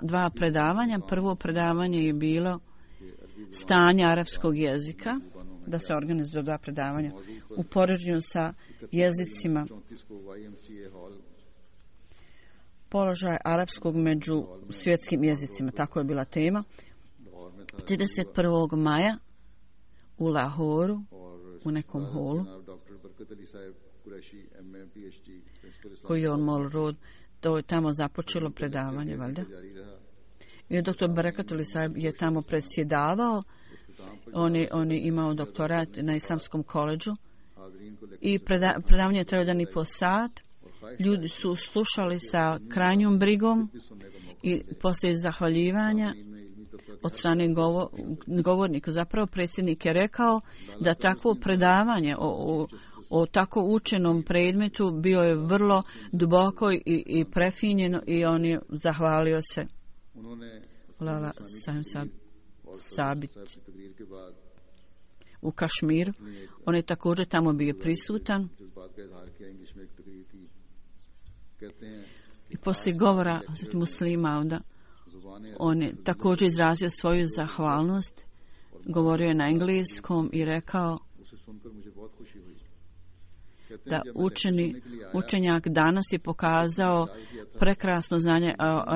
dva predavanja. Prvo predavanje je bilo stanje arapskog jezika, da se organizuju 2 predavanja u poređenju sa jezicima, položaj arapskog među svjetskim jezicima, tako je bila tema. 31. maja u Lahoru, u nekom holu, koji je on mol rod, to je tamo započelo predavanje, valjda. I dr. Barakat Ali Sahib je tamo predsjedavao, on je imao doktorat na Islamskom koledžu i predavanje je trajalo 1,5 sat. Ljudi su slušali sa krajnjom brigom i poslije zahvaljivanja od strane govornika. Zapravo predsjednik je rekao da takvo predavanje o tako učenom predmetu bio je vrlo duboko i prefinjeno i on je zahvalio se. Lala Sabit u Kašmiru. On je također tamo bio prisutan. I poslije govora muslima onda on je također izrazio svoju zahvalnost. Govorio je na engleskom i rekao da učenjak danas je pokazao prekrasno znanje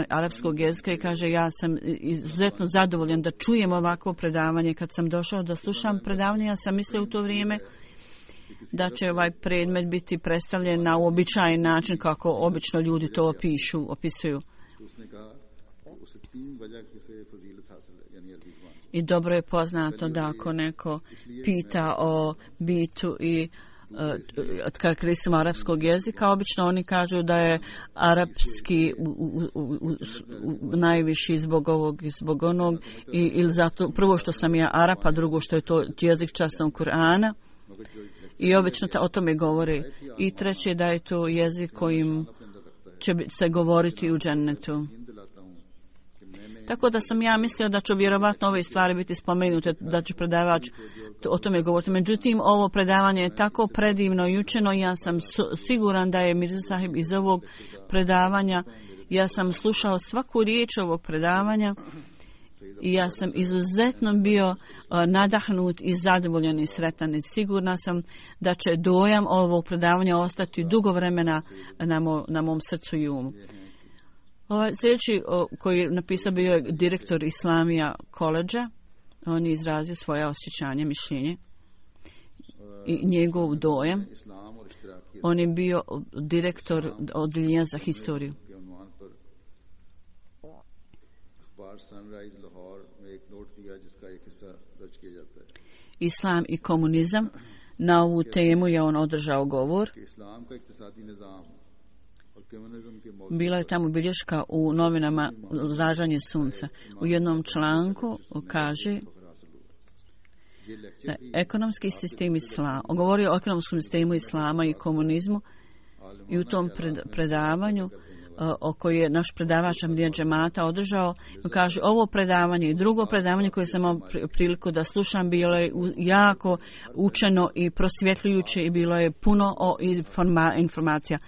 arapskog jezika i kaže ja sam izuzetno zadovoljan da čujem ovakvo predavanje. Kad sam došao da slušam predavanje, ja sam mislio u to vrijeme da će ovaj predmet biti predstavljen na uobičajen način kako obično ljudi to opisuju. I dobro je poznato da ako neko pita o bitu i karakteristima arapskog jezika, obično oni kažu da je arapski najviši zbog ovog i zbog onog, ili zato prvo što sam ja Arap, a drugo što je to jezik časnog Kur'ana. I obično o tome govore. I treće da je to jezik kojim će se govoriti u džennetu. Tako da sam ja mislio da će vjerovatno ove stvari biti spomenute, da će predavač o tome govoriti. Međutim, ovo predavanje je tako predivno i učeno. Ja sam siguran da je Mirza Sahib iz ovog predavanja. Ja sam slušao svaku riječ ovog predavanja i ja sam izuzetno bio nadahnut i zadovoljan i sretan. I sigurna sam da će dojam ovog predavanja ostati dugo vremena na mom srcu i umu. Sljedeći koji je napisao bio je direktor Islamija koledža. On je izrazio svoje osjećanje, mišljenje i njegov dojam. On je bio direktor odjeljenja za historiju. Islam i komunizam. Na ovu temu je on održao govor. Bila je tamo bilješka u novinama Zražanje sunca. U jednom članku kaže da ekonomski sistem islama, govorio o ekonomskom sistemu islama i komunizmu i u tom predavanju o koji je naš predavač Ahmadija džemata održao, kaže ovo predavanje i drugo predavanje koje sam imao priliku da slušam bilo je jako učeno i prosvjetljujuće i bilo je puno informacija.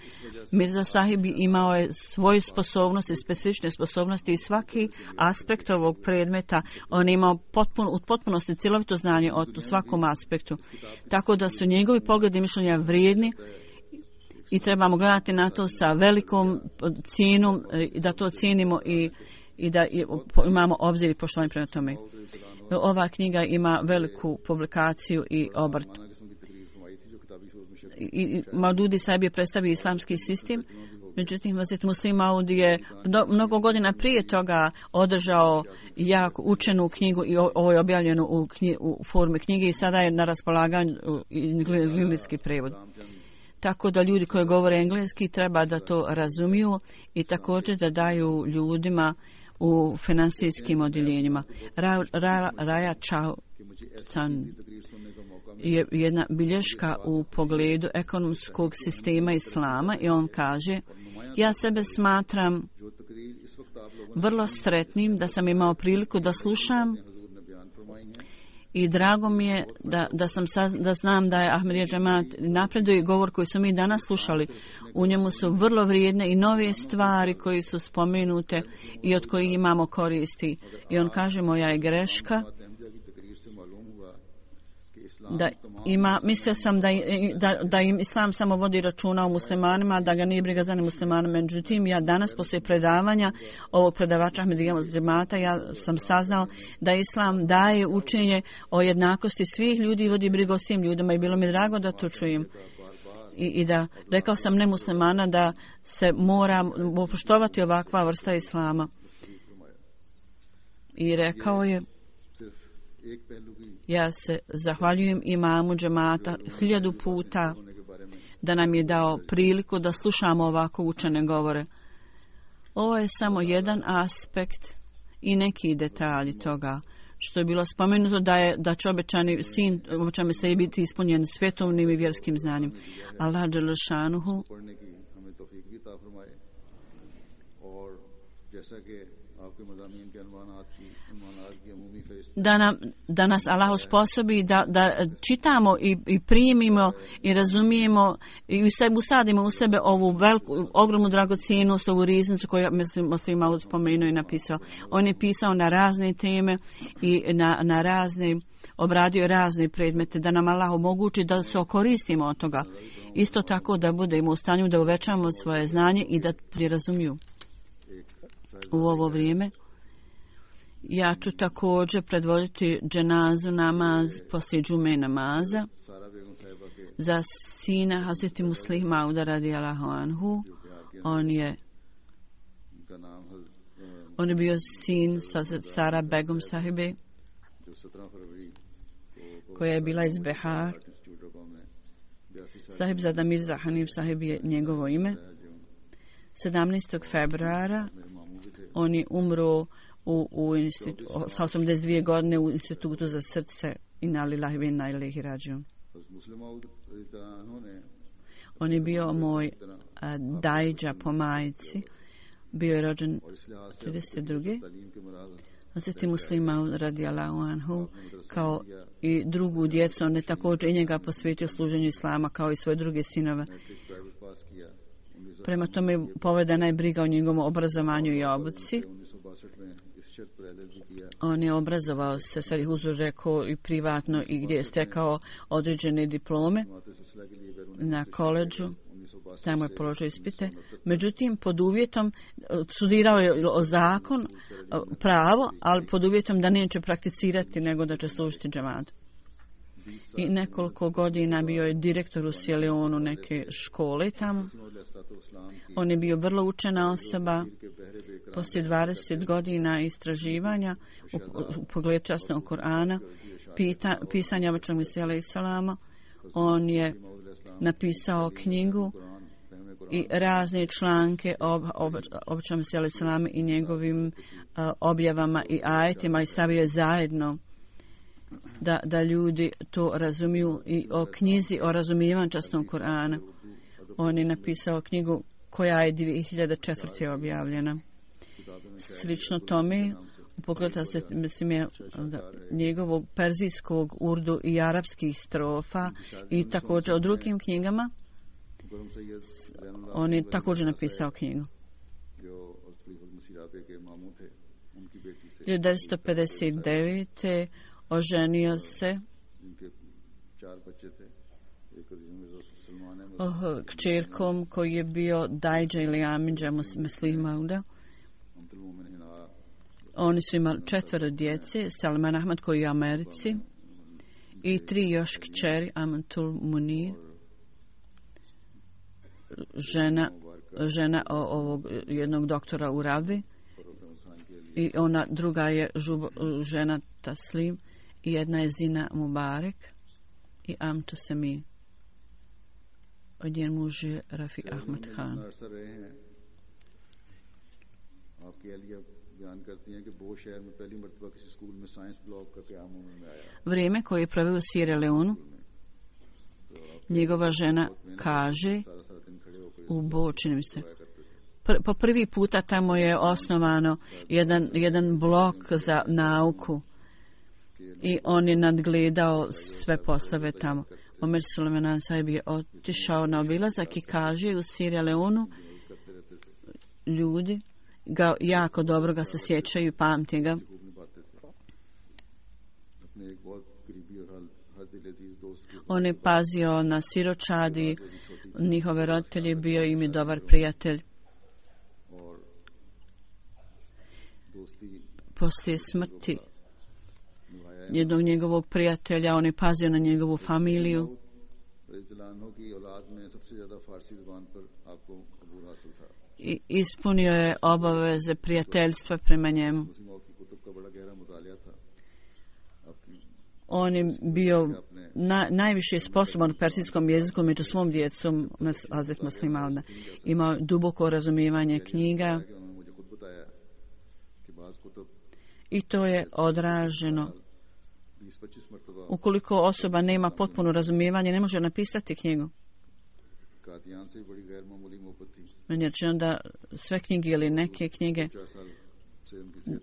Mirza Sahib imao je svoju sposobnost i specifične sposobnosti i svaki aspekt ovog predmeta on imao u potpunosti cjelovito znanje o svakom aspektu. Tako da su njegovi pogledi i mišljenja vrijedni i trebamo gledati na to sa velikom cijenom, da to cijenimo i da imamo obzir i poštovanje prema tome. Ova knjiga ima veliku publikaciju i obrt. I Maududi Sahib je predstavio islamski sistem, međutim Hazret Muslim Maud je mnogo godina prije toga održao jako učenu knjigu i ovo je objavljeno u formi knjige i sada je na raspolaganju engleski prevod. Tako da ljudi koji govore engleski treba da to razumiju i također da daju ljudima u finansijskim odjeljenjima. Raja Chao San je jedna bilješka u pogledu ekonomskog sistema islama i on kaže: ja sebe smatram vrlo sretnim da sam imao priliku da slušam i drago mi je da znam da je Ahmadija džemat napreduje i govor koji su mi danas slušali. U njemu su vrlo vrijedne i nove stvari koji su spomenute i od kojih imamo koristi. I on kaže moja je greška da ima, mislio sam da im islam samo vodi računa o muslimanima, da ga nije briga za nemuslimanima. Međutim, ja danas poslije predavanja ovog predavača Ahmadija džemata ja sam saznao da islam daje učenje o jednakosti svih ljudi i vodi brigu o svim ljudima i bilo mi drago da to čujem. I da rekao sam nemuslimana da se mora poštovati ovakva vrsta islama. I rekao je: ja se zahvaljujem imamu džemata 1000 puta da nam je dao priliku da slušamo ovako učene govore. Ovo je samo jedan aspekt i neki detalji toga što je bilo spomenuto da će obećani sin obećame se biti ispunjen svjetovnim i vjerskim znanjem. Allah dželle šanuhu da nas Allah osposobi da čitamo i primimo i razumijemo i usadimo u sebe ovu ogromnu dragocjenost, ovu riznicu koju Muslim Maud spomenuo i napisao. On je pisao na razne teme i na razne, obradio razne predmete, da nam Allah omogući da se koristimo od toga. Isto tako da budemo u stanju da uvećamo svoje znanje i da razumiju. U ovo vrijeme ja ću također predvoditi dženazu namaz poslije džume namaza za sina Hazreti Muslih Mauda radijallahu anhu. On je bio sin Sara Begum sahibe koja je bila iz Behar. Sahib Zada Mirza Hanif sahib je njegovo ime. 17. februara on je umro sa 82 godine u institutu za srce Inna lillahi wa inna ilaihi rađiun. On je bio moj dajđa po majici. Bio je rođen 32. Hazreti Muslim Maud radijallahu anhu kao i drugu djecu, on je također i njega posvetio služenju islama kao i svoje druge sinove. Prema tome povedena je briga o njegovom obrazovanju i obuci. On je obrazovao se, sad ih uzor rekao, i privatno i gdje je stekao određene diplome na koledžu. Tamo je položio ispite. Međutim, pod uvjetom, studirao je zakon, pravo, ali pod uvjetom da neće prakticirati, nego da će služiti džematu. i nekoliko godina bio je direktor u Sierra neke škole tamo. On je bio vrlo učena osoba. Poslije 20 godina istraživanja u pogledu časnog Kur'ana, pisanja Obećanog Mesija alejhi selama, on je napisao knjigu i razne članke o Obećanom Mesiji alejhi selama i njegovim objavama i ajetima i stavio je zajedno da ljudi to razumiju i o knjizi o razumijevanju časnog Kur'ana. On je napisao knjigu koja je 2004. objavljena. Slično tome, u pogledu se mislim je njegovog perzijskog, urdu i arapskih strofa i također o drugim knjigama, on je također napisao knjigu. 1959. oženio se kćerkom koji je bio Dajđa ili Amidža Muslima. Oni su imali 4 djece, Salman Ahmad koji je u Americi i 3 još kćeri, Amatul Munir, žena ovog jednog doktora u Ravi i ona druga je žena Taslim i jedna je Zina Mubarek i Amtu Sami. Od njen muž je Rafi Ahmad Khan. Vrijeme koje je proveo u Sierra Leonu, njegova žena kaže u Bo, čini mi se, po prvi puta tamo je osnovano jedan blok za nauku i on je nadgledao sve poslove tamo. Omer Sulejman Sahib je otišao na obilazak i kaže u Sierra Leonu ljudi ga jako dobro ga se sjećaju i pamti ga. On je pazio na siročadi, njihove roditelje, bio im je dobar prijatelj. Poslije smrti jednog njegovog prijatelja, on je pazio na njegovu familiju. I ispunio je obaveze prijateljstva prema njemu. On je bio najviše sposoban u persijskom jeziku među svom djecom, Hazret Muslim Maud. Imao duboko razumijevanje knjiga i to je odraženo. Ukoliko osoba nema potpuno razumijevanje, ne može napisati knjigu. Meni je rečeno da sve knjige ili neke knjige,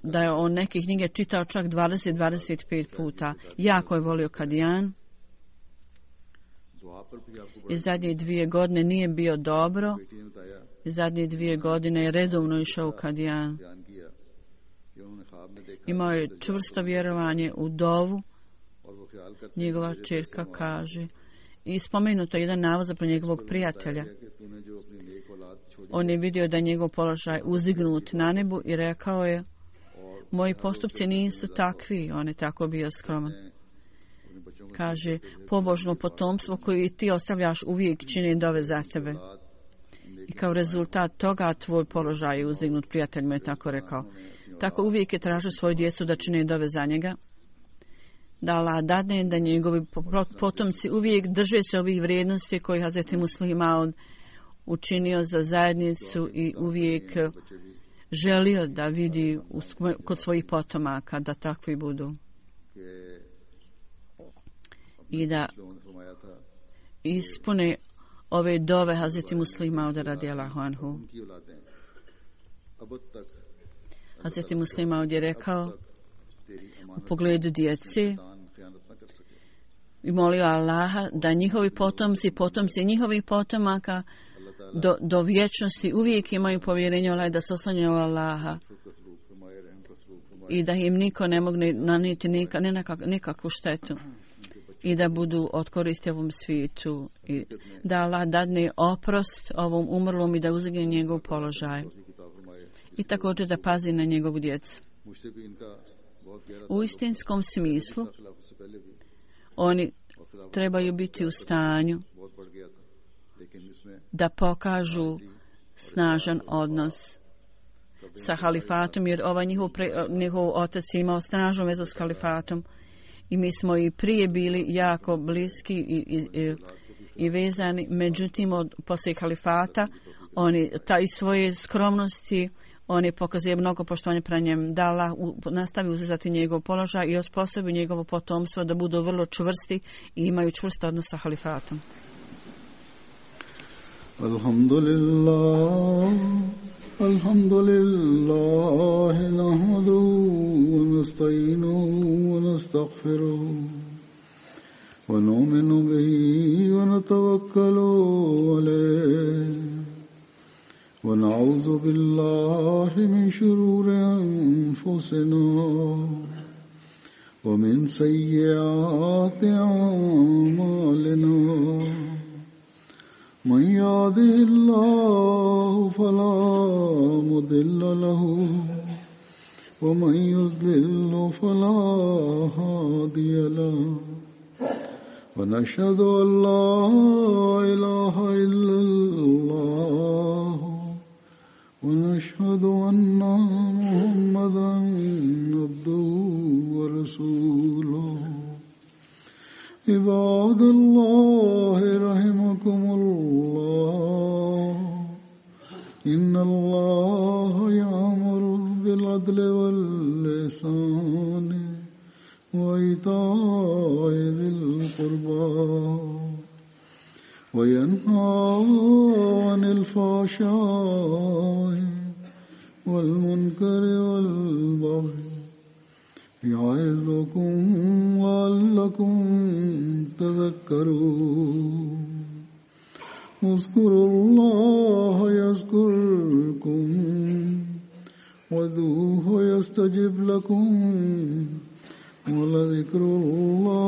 da je on neke knjige čitao čak 20-25 puta. Jako je volio Kadijan. I zadnje 2 godine nije bio dobro. I zadnje 2 godine je redovno išao u Kadijan. Imao je čvrsto vjerovanje u dovu. Njegova čerka kaže. I spomenuto je jedan navod za njegovog prijatelja. On je vidio da je njegov položaj uzdignut na nebu i rekao je: moji postupci nisu takvi. On je tako bio skroman. Kaže: pobožno potomstvo koje ti ostavljaš uvijek čini dove za tebe. I kao rezultat toga tvoj položaj je uzdignut. Prijatelj mu je tako rekao. Tako uvijek je tražio svoju djecu da čine dove za njega. Da Allah dadne da njegovi potomci uvijek drže se ovih vrijednosti koji Hazreti Muslim Maud učinio za zajednicu i uvijek želio da vidi kod svojih potomaka da takvi budu. I da ispune ove dove Hazreti Muslim Maud radijallahu anhu. Hazreti Muslim Maud je rekao u pogledu djece i molio Allaha da njihovi potomci njihovih potomaka do vječnosti uvijek imaju povjerenje Allah, da se oslanjaju Allaha i da im niko ne mogne nanijeti nikakvu štetu i da budu od koristi ovom svijetu i da Allah dadne oprost ovom umrlom i da uzdigne njegov položaj i također da pazi na njegovu djecu. U istinskom smislu oni trebaju biti u stanju da pokažu snažan odnos sa halifatom, jer njihov otac je imao snažnu vezu s halifatom i mi smo i prije bili jako bliski i vezani. Međutim, poslije halifata oni taj svoje skromnosti oni pokazuje mnogo poštovanja prema njemu, da Allah nastavi uzeti njegov položaj i osposobi njegovo potomstvo da budu vrlo čvrsti i imaju čvrst odnos sa halifatom. Alhamdulillah nahmaduhu wa nasta'inuhu wa nastaghfiruhu wa nu'minu bihi wa natawakkalu alayhi ونعوذ بالله من شرور أنفسنا ومن سيئات أعمالنا من يهده الله فلا مضل له ومن يضلل فلا هادي له ونشهد أن لا إله إلا الله ونشهد أن محمدا عبده ورسوله عباد الله رحمكم الله إن الله يأمر بالعدل والإحسان وإيتاء ذي القربى وينهى عن الفحشاء والمنكر والبغي يعظكم لعلكم تذكرون اذكروا الله يذكركم وادعوه يستجب لكم ولذكر الله